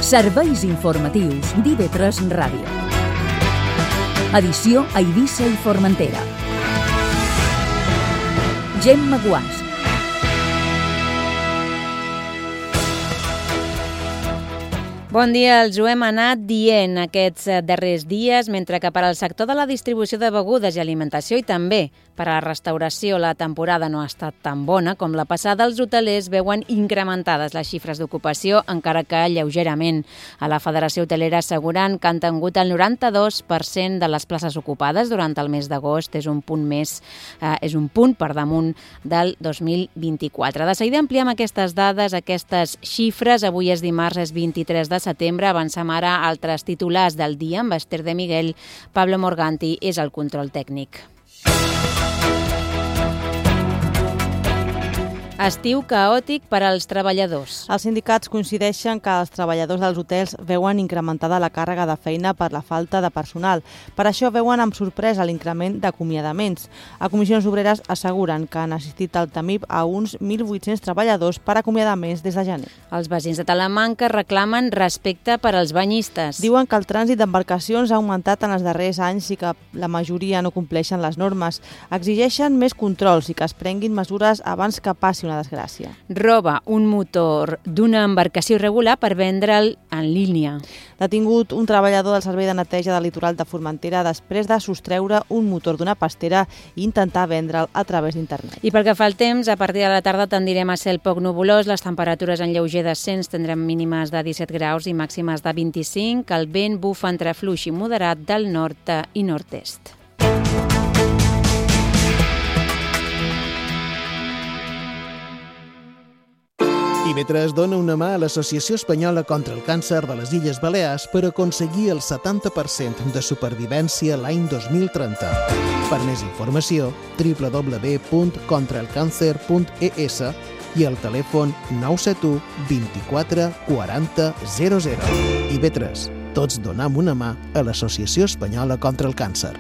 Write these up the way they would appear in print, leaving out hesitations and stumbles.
Serveis informatius d'IV3 Ràdio. Edició a Eivissa i Formentera. Gemma Guàs. Bon dia, els ho hem anat dient aquests darrers dies, mentre que per al sector de la distribució de begudes i alimentació i també per a la restauració la temporada no ha estat tan bona com la passada, els hotelers veuen incrementades les xifres d'ocupació, encara que lleugerament. A la Federació Hotelera asseguren que han tingut el 92% de les places ocupades durant el mes d'agost, és un punt per damunt del 2024. De seguida ampliem aquestes dades, aquestes xifres. Avui és dimarts, és 23 de setembre. Avancem ara a altres titulars del dia amb Esther de Miguel. Pablo Morganti és el control tècnic. Estiu caòtic per als treballadors. Els sindicats coincideixen que els treballadors dels hotels veuen incrementada la càrrega de feina per la falta de personal. Per això veuen amb sorpresa l'increment d'acomiadaments. A Comissions Obreres asseguren que han assistit al TAMIP a uns 1.800 treballadors per acomiadaments des de gener. Els veïns de Talamanca reclamen respecte per als banyistes. Diuen que el trànsit d'embarcacions ha augmentat en els darrers anys i que la majoria no compleixen les normes. Exigeixen més controls i que es prenguin mesures abans que passi una desgràcia. Roba un motor d'una embarcació irregular per vendre'l en línia. Detingut un treballador del servei de neteja del litoral de Formentera després de sostreure un motor d'una pastera i intentar vendre'l a través d'internet. I pel que fa al temps, a partir de la tarda tendirem a cel poc nuvolós, les temperatures en lleuger descens tindrem mínimes de 17 graus i màximes de 25, el vent bufa entre fluix i moderat del nord i nord-est. IV3 dona una mà a l'Associació Espanyola contra el Càncer de les Illes Balears per aconseguir el 70% de supervivència l'any 2030. Per més informació, www.contraelcancer.es i el telèfon 971 24 40 00. IV3. Tots donem una mà a l'Associació Espanyola contra el Càncer.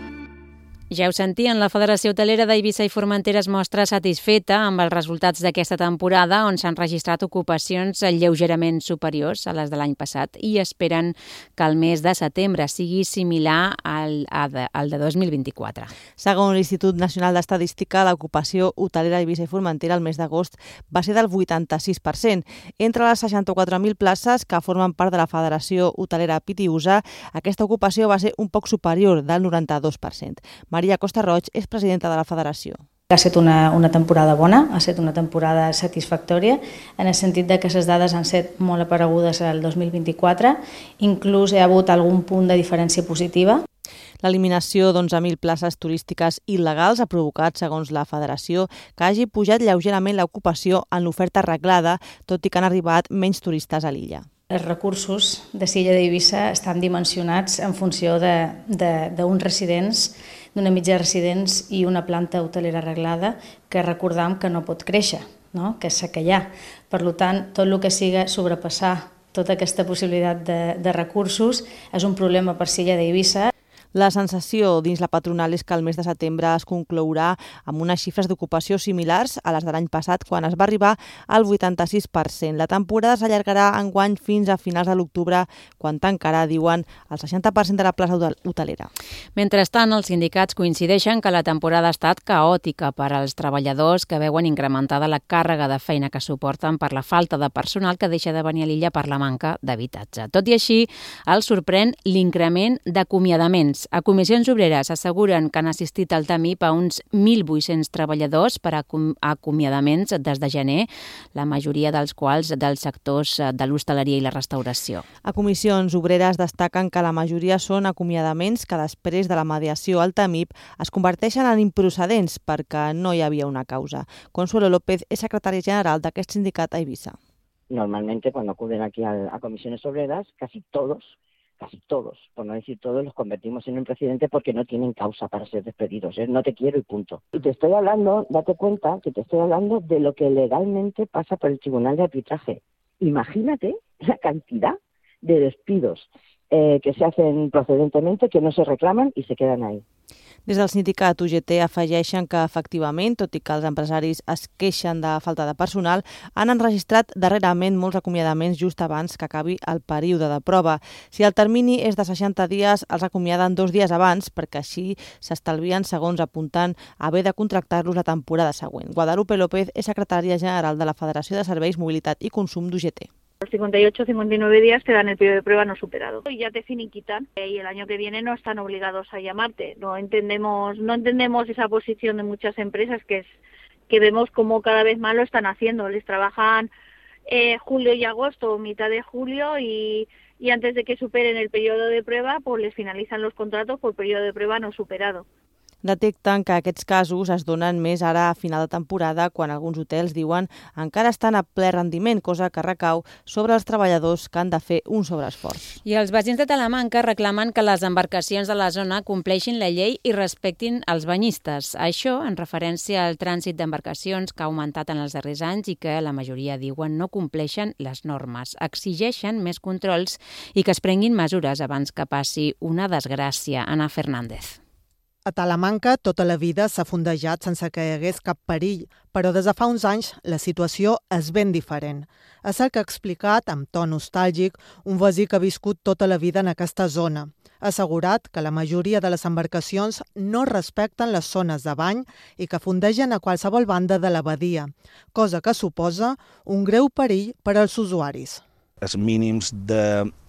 Ja ho sentien, la Federació Hotelera d'Eivissa i Formentera es mostra satisfeta amb els resultats d'aquesta temporada, on s'han registrat ocupacions lleugerament superiors a les de l'any passat i esperen que el mes de setembre sigui similar al de 2024. Segons l'Institut Nacional d'Estadística, l'ocupació hotelera a Eivissa i Formentera el mes d'agost va ser del 86%. Entre les 64.000 places que formen part de la Federació Hotelera Pitiusa, aquesta ocupació va ser un poc superior, del 92%. Maria Costa Roig és presidenta de la federació. Ha estat una temporada bona, ha estat una temporada satisfactòria, en el sentit de que les dades han estat molt aparegudes al 2024, inclús hi ha hagut algun punt de diferència positiva. L'eliminació d'11.000 places turístiques il·legals ha provocat, segons la federació, que hagi pujat lleugerament l'ocupació en l'oferta arreglada, tot i que han arribat menys turistes a l'illa. Els recursos de l'illa d'Eivissa estan dimensionats en funció d'uns residents, d'una mitja de residents i una planta hotelera arreglada que recordam que no pot créixer, no? Que és la que hi ha. Per tant, tot el que siga sobrepassar tota aquesta possibilitat de recursos és un problema per l'illa d'Eivissa. La sensació dins la patronal és que el mes de setembre es conclourà amb unes xifres d'ocupació similars a les de l'any passat, quan es va arribar al 86%. La temporada s'allargarà enguany fins a finals de l'octubre, quan tancarà, diuen, el 60% de la plaça hotelera. Mentrestant, els sindicats coincideixen que la temporada ha estat caòtica per als treballadors que veuen incrementada la càrrega de feina que suporten per la falta de personal que deixa de venir a l'illa per la manca d'habitatge. Tot i així, els sorprèn l'increment d'acomiadaments. A Comissions Obreres asseguren que han assistit al TAMIP a uns 1.800 treballadors per a acomiadaments des de gener, la majoria dels quals dels sectors de l'hostaleria i la restauració. A Comissions Obreres destaquen que la majoria són acomiadaments que després de la mediació al TAMIP es converteixen en improcedents perquè no hi havia una causa. Consuelo López és secretària general d'aquest sindicat a Eivissa. Normalmente cuando acuden aquí a Comisiones Obreras, casi todos, por no decir todos, los convertimos en un precedente porque no tienen causa para ser despedidos. No te quiero y punto. Y te estoy hablando, date cuenta que te estoy hablando de lo que legalmente pasa por el Tribunal de Arbitraje. Imagínate la cantidad de despidos que se hacen procedentemente, que no se reclaman y se quedan ahí. Des del sindicat UGT afegeixen que, efectivament, tot i que els empresaris es queixen de falta de personal, han enregistrat darrerament molts acomiadaments just abans que acabi el període de prova. Si el termini és de 60 dies, els acomiaden 2 dies abans, perquè així s'estalvien segons apuntant a haver de contractar-los la temporada següent. Guadalupe López és secretària general de la Federació de Serveis, Mobilitat i Consum d'UGT. Los 58 o 59 días te dan el periodo de prueba no superado y ya te finiquitan y el año que viene no están obligados a llamarte. No entendemos esa posición de muchas empresas que vemos como cada vez más lo están haciendo. Les trabajan julio y agosto, mitad de julio y antes de que superen el periodo de prueba pues les finalizan los contratos por periodo de prueba no superado. Detecten que aquests casos es donen més ara a final de temporada quan alguns hotels diuen encara estan a ple rendiment, cosa que recau sobre els treballadors que han de fer un sobreesforç. I els veïns de Talamanca reclamen que les embarcacions de la zona compleixin la llei i respectin els banyistes. Això en referència al trànsit d'embarcacions que ha augmentat en els darrers anys i que la majoria diuen no compleixen les normes. Exigeixen més controls i que es prenguin mesures abans que passi una desgràcia. Ana Fernández. A Talamanca tota la vida s'ha fondejat sense que hi hagués cap perill, però des de fa uns anys la situació és ben diferent. És el que ha explicat, amb to nostàlgic, un veí que ha viscut tota la vida en aquesta zona. Ha assegurat que la majoria de les embarcacions no respecten les zones de bany i que fondegen a qualsevol banda de la badia, cosa que suposa un greu perill per als usuaris. Els mínims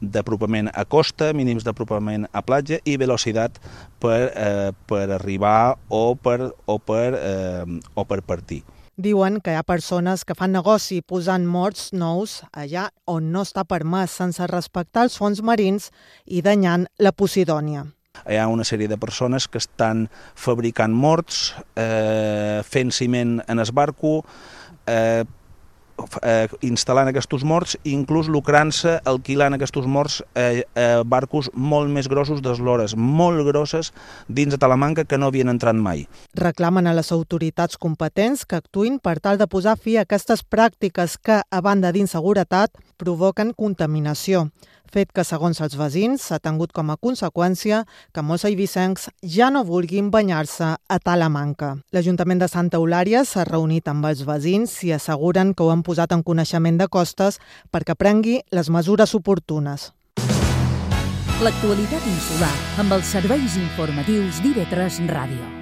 d'apropament a costa, mínims d'apropament a platja i velocitat per arribar o per partir. Diuen que hi ha persones que fan negoci posant morts nous allà on no està permès sense respectar els fons marins i danyant la Posidònia. Hi ha una sèrie de persones que estan fabricant morts, fent ciment en el barco, instal·lant aquests morts i inclús lucrant-se alquilant aquests morts a barcos molt més grossos d'eslores, molt grosses dins de Talamanca que no havien entrat mai. Reclamen a les autoritats competents que actuïn per tal de posar fi a aquestes pràctiques que, a banda d'inseguretat, provoquen contaminació, fet que, segons els veïns, s'ha tingut com a conseqüència que molts eivissencs ja no vulguin banyar-se a Talamanca. L'Ajuntament de Santa Eulària s'ha reunit amb els veïns i asseguren que ho han posat en coneixement de costes perquè prengui les mesures oportunes. L'actualitat insular amb els serveis informatius d'IV3 Ràdio.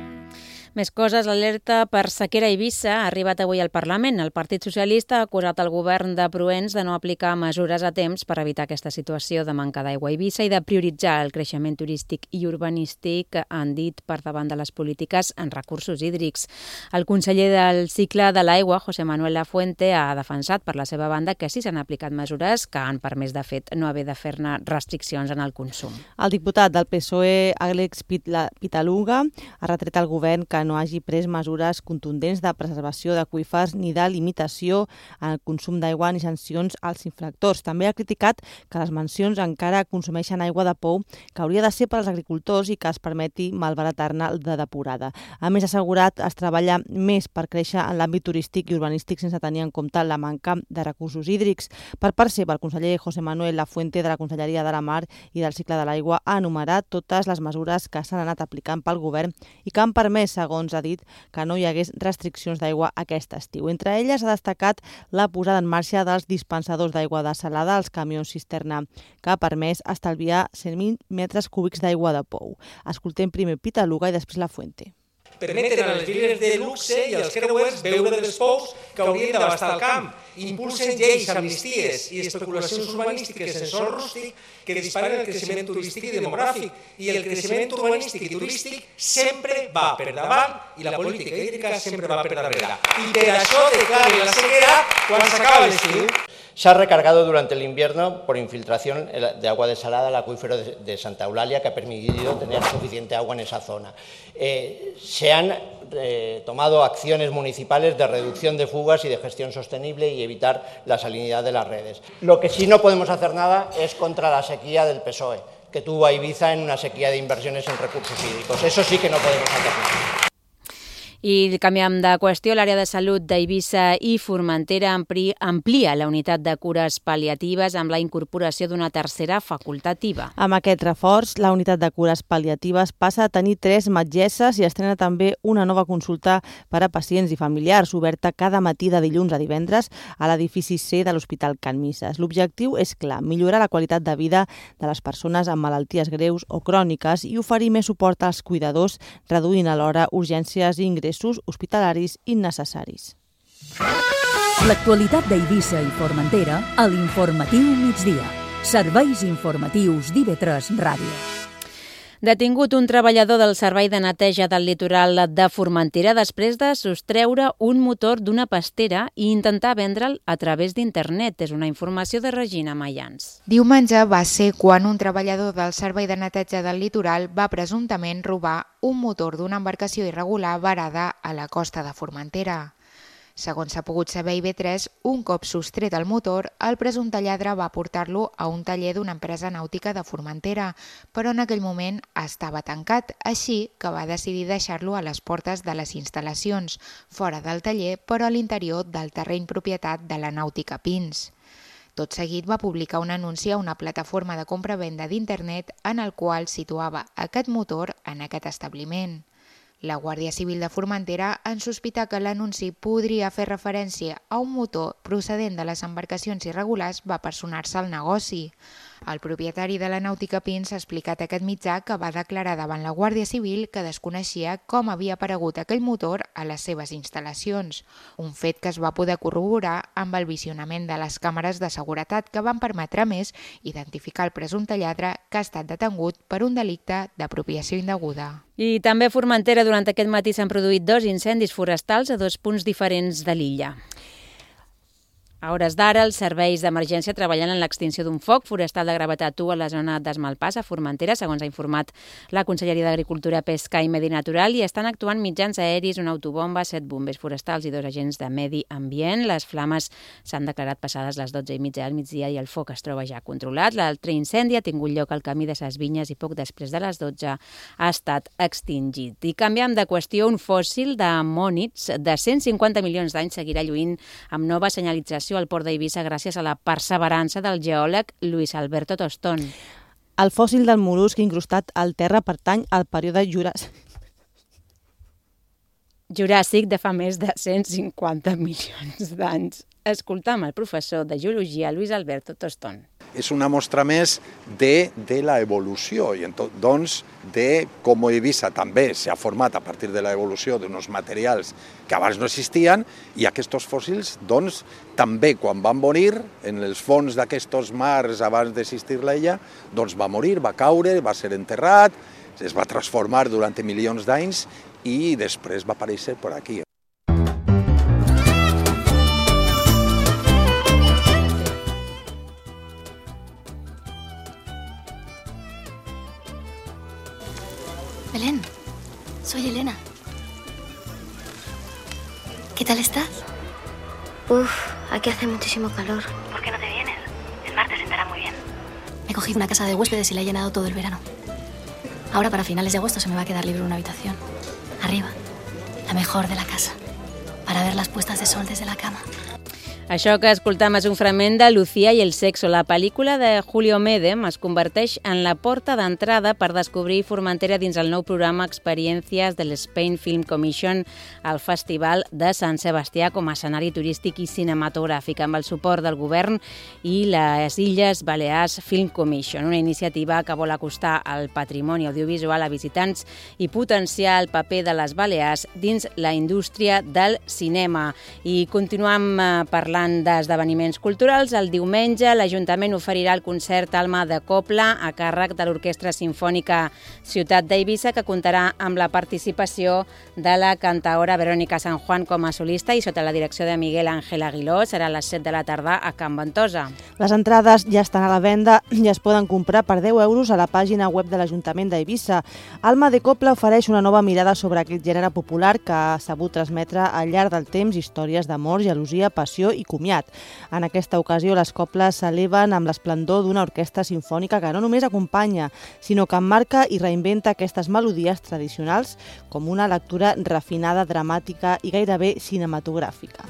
Més coses, l'alerta per sequera a Eivissa ha arribat avui al Parlament. El Partit Socialista ha acusat el govern de Proens de no aplicar mesures a temps per evitar aquesta situació de manca d'aigua a Eivissa i de prioritzar el creixement turístic i urbanístic, han dit, per davant de les polítiques en recursos hídrics. El conseller del cicle de l'aigua, José Manuel Lafuente, ha defensat per la seva banda que sí s'han aplicat mesures que han permès, de fet, no haver de fer-ne restriccions en el consum. El diputat del PSOE, Àlex Pitaluga, ha retret al govern que no hagi pres mesures contundents de preservació d'aqüífers ni de limitació en el consum d'aigua ni sancions als infractors. També ha criticat que les mansions encara consumeixen aigua de pou que hauria de ser per als agricultors i que es permeti malbaratar-ne de depurada. A més, ha assegurat es treballa més per créixer en l'àmbit turístic i urbanístic sense tenir en compte la manca de recursos hídrics. Per part seva, el conseller José Manuel Lafuente de la Conselleria de la Mar i del Cicle de l'Aigua ha enumerat totes les mesures que s'han anat aplicant pel govern i que han permès, segons ha dit, que no hi hagués restriccions d'aigua aquest estiu. Entre elles ha destacat la posada en marxa dels dispensadors d'aigua desalada als camions cisterna, que ha permès estalviar 100.000 metres cúbics d'aigua de pou. Escoltem primer Pitaluga i després Lafuente. Permeten a les viles de luxe i als creuers beure dels pous que haurien d'abastar el camp. Impulsen lleis, amnisties i especulacions urbanístiques en sòl rústic que disparen el creixement turístic i demogràfic. I el creixement urbanístic i turístic sempre va per davant i la política hídrica sempre va per darrere. I per això declaren la sequera quan s'acaba l'estiu. Se ha recargado durante el invierno por infiltración de agua desalada el acuífero de Santa Eulalia, que ha permitido tener suficiente agua en esa zona. Se han tomado acciones municipales de reducción de fugas y de gestión sostenible y evitar la salinidad de las redes. Lo que sí no podemos hacer nada es contra la sequía del PSOE, que tuvo a Ibiza en una sequía de inversiones en recursos hídricos. Eso sí que no podemos hacer nada. I canviem de qüestió, l'àrea de salut d'Eivissa i Formentera amplia la unitat de cures pal·liatives amb la incorporació d'una tercera facultativa. Amb aquest reforç, la unitat de cures pal·liatives passa a tenir 3 metgesses i estrena també una nova consulta per a pacients i familiars, oberta cada matí de dilluns a divendres a l'edifici C de l'Hospital Can Misses. L'objectiu és clar, millorar la qualitat de vida de les persones amb malalties greus o cròniques i oferir més suport als cuidadors, reduint alhora urgències i ingressos hospitalaris innecessaris. L'actualitat d'Eivissa i Formentera a l'Informatiu Migdia. Serveis informatius d'IV3 Ràdio. Detingut un treballador del Servei de Neteja del Litoral de Formentera després de sostreure un motor d'una pastera i intentar vendre'l a través d'internet. És una informació de Regina Mayans. Diumenge va ser quan un treballador del Servei de Neteja del Litoral va presumptament robar un motor d'una embarcació irregular varada a la costa de Formentera. Segons s'ha pogut saber a IB3, un cop sostret el motor, el presumpte lladre va portar-lo a un taller d'una empresa nàutica de Formentera, però en aquell moment estava tancat, així que va decidir deixar-lo a les portes de les instal·lacions, fora del taller, però a l'interior del terreny propietat de la Nàutica Pins. Tot seguit va publicar un anunci a una plataforma de compra-venda d'internet en el qual situava aquest motor en aquest establiment. La Guàrdia Civil de Formentera en sospita que l'anunci podria fer referència a un motor procedent de les embarcacions irregulars va personar-se al negoci. El propietari de la Nàutica Pins ha explicat a aquest mitjà que va declarar davant la Guàrdia Civil que desconeixia com havia aparegut aquell motor a les seves instal·lacions, un fet que es va poder corroborar amb el visionament de les càmeres de seguretat que van permetre a més identificar el presumpte lladre que ha estat detingut per un delicte d'apropiació indeguda. I també a Formentera durant aquest matí s'han produït 2 incendis forestals a 2 punts diferents de l'illa. A hores d'ara, els serveis d'emergència treballen en l'extinció d'un foc forestal de gravetat 1 a la zona d'Esmalpàs, a Formentera, segons ha informat la Conselleria d'Agricultura, Pesca i Medi Natural, i estan actuant mitjans aeris, una autobomba, 7 bombers forestals i 2 agents de medi ambient. Les flames s'han declarat passades les 12:30 del migdia i el foc es troba ja controlat. L'altre incendi ha tingut lloc al camí de Ses Vinyes i poc després de les 12 ha estat extingit. I canviant de qüestió, un fòssil d'amònids de 150 milions d'anys seguirà lluint amb nova senyalització al port d'Eivissa gràcies a la perseverança del geòleg Luis Alberto Tostón. El fòssil del mol·lusc incrustat al terra pertany al període Juràssic de fa més de 150 milions d'anys. Escoltam el professor de geologia Luis Alberto Tostón. És una mostra més de la evolució i doncs de com Eivissa també s'ha format a partir de l'evolució d'uns materials que abans no existien i aquests fòssils doncs també quan van morir en els fons d'aquests mars abans d'existir l'illa doncs va morir, va caure, va ser enterrat, es va transformar durant milions d'anys i després va aparèixer per aquí. Belén, soy Elena. ¿Qué tal estás? Aquí hace muchísimo calor. ¿Por qué no te vienes? El mar te sentará muy bien. Me he cogido una casa de huéspedes y la he llenado todo el verano. Ahora para finales de agosto se me va a quedar libre una habitación. Arriba, la mejor de la casa, para ver las puestas de sol desde la cama. Això que escoltam és un fragment de Lucía i el sexo. La pel·lícula de Julio Medem es converteix en la porta d'entrada per descobrir Formentera dins el nou programa Experiències de l'Spain Film Commission al Festival de Sant Sebastià com a escenari turístic i cinematogràfic amb el suport del govern i les Illes Balears Film Commission, una iniciativa que vol acostar el patrimoni audiovisual a visitants i potenciar el paper de les Balears dins la indústria del cinema. I continuam parlant d'esdeveniments culturals. El diumenge l'Ajuntament oferirà el concert Alma de Copla a càrrec de l'Orquestra Simfònica Ciutat d'Eivissa, que comptarà amb la participació de la cantaora Verónica San Juan com a solista i sota la direcció de Miguel Ángel Aguiló. Serà a les 7 de la tarda a Can Ventosa. Les entrades ja estan a la venda i es poden comprar per 10 euros a la pàgina web de l'Ajuntament d'Eivissa. Alma de Copla ofereix una nova mirada sobre aquest gènere popular que ha sabut transmetre al llarg del temps històries d'amor, gelosia, passió i comiat. En aquesta ocasió, les cobles s'eleven amb l'esplendor d'una orquestra simfònica que no només acompanya, sinó que emmarca i reinventa aquestes melodies tradicionals com una lectura refinada, dramàtica i gairebé cinematogràfica.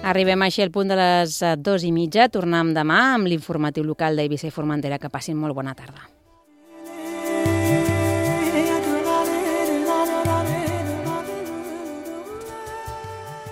Arribem així al punt de les 2:30. Tornem demà amb l'informatiu local d'Eivissa i Formentera. Que passin molt bona tarda.